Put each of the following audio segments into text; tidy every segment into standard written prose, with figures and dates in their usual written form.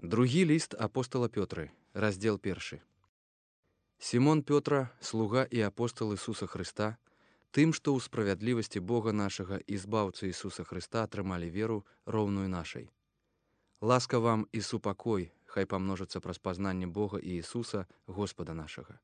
Другі ліст апостала Пётры, раздзел 1. Сімон Пётра, слуга і апостал Ісуса Хрыста, тым, што ў справядлівасці Бога нашага і збаўцы Ісуса Хрыста атрымалі веру, роўную нашай. Ласка вам і супакой, хай памножыцца праз пазнанне Бога і Ісуса, Господа нашага.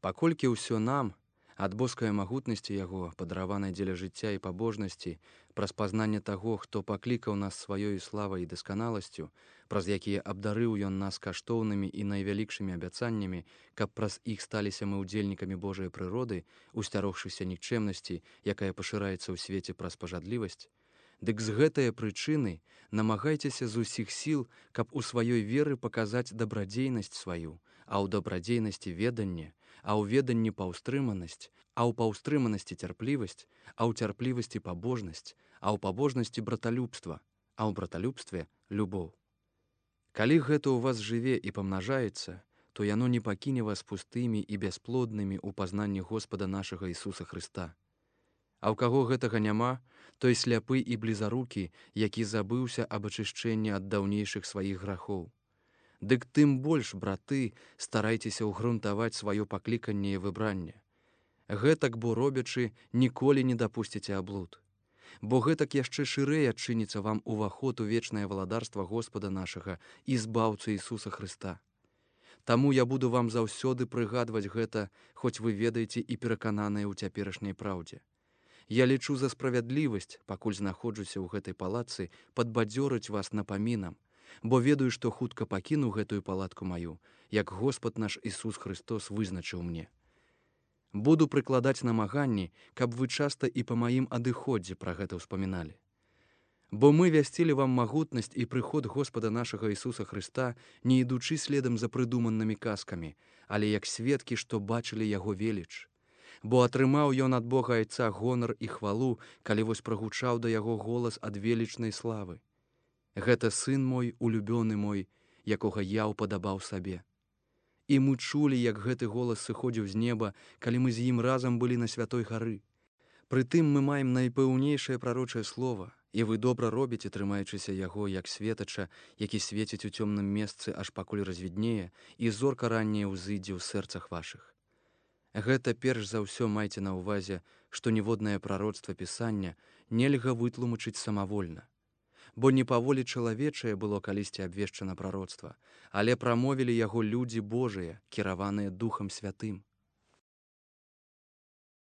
Паколькі ўсё нам, ад боскай магутнасці Яго, падараванай дзеля жыцця і пабожнасці, праз пазнанне таго, хто паклікаў нас сваёй славай і дасканаласцю, праз якія абдарыў Ён нас каштоўнымі і найвялікшымі абяцаннямі, каб праз іх сталіся мы ўдзельнікамі Божай прыроды, усцярогшыся нікчэмнасці, якая пашыраецца ў свеце праз пажадлівасць, дык з гэтае прычыны намагайцеся з усіх сіл, каб у сваёй веры паказаць дабрадзейнасць сваю, а ў дабрадзейнасці веданне, а ў веданні паўстрыманасць, а ў паўстрыманасці цярплівасць, а ў цярплівасці пабожнасць, а ў пабожнасці браталюбства, а ў браталюбстве любоў. Калі гэта ў вас жыве і памнажаецца, то яно не пакіне вас пустымі і бясплоднымі ў пазнанні Господа нашага Ісуса Хрыста. А ў каго гэтага няма, той сляпы і блізарукі, які забыўся аб ачышчэнні ад даўнейшых сваіх грахоў. Дык тым больш, браты, старайцеся ўгрунтаваць сваё пакліканне і выбранне. Гэтак, бо робячы, ніколі не дапусціце аблуд. Бо гэтак яшчэ шырэй адчыніцца вам уваход у вечнае валадарства Господа нашага і збаўцы Ісуса Хрыста. Таму я буду вам заўсёды прыгадваць гэта, хоць вы ведаеце і перакананыя ў цяперашняй праўдзе. Я лічу за справядлівасць, пакуль знаходжуся ў гэтай палатцы, падбадзёрыць вас напамінам, бо ведаю, што хутка пакіну гэтую палатку маю, як Господ наш Ісус Хрыстос вызначыў мне. Буду прыкладаць намаганні, каб вы часта і па маім адыходзе пра гэта ўспаміналі. Бо мы вясцілі вам магутнасць і прыход Господа нашага Ісуса Хрыста, не ідучы следам за прыдуманымі казкамі, але як сведкі, што бачылі Яго веліч. Бо атрымаў ён ад Бога Айца гонар і хвалу, калі вось прагучаў да Яго голас ад велічнай славы. Гэта сын мой, улюбёны мой, якога я ўпадабаў сабе. І мы чулі, як гэты голас сыходзіў з неба, калі мы з ім разам былі на святой гары. Прытым мы маем найпэўнейшае прарочае слова, і вы добра робіце, трымаючыся яго, як светача, які свеціць у цёмным месцы, аж пакуль развіднее, і зорка ранняя ўзыдзе ў сэрцах вашых. Гэта перш за ўсё майце на ўвазе, што ніводнае прароцтва Пісання нельга вытлумачыць самавольна. Бо не па волі чалавечае было калісьці абвешчана прароцтва, але прамовілі яго людзі Божыя, кіраваныя Духам Святым.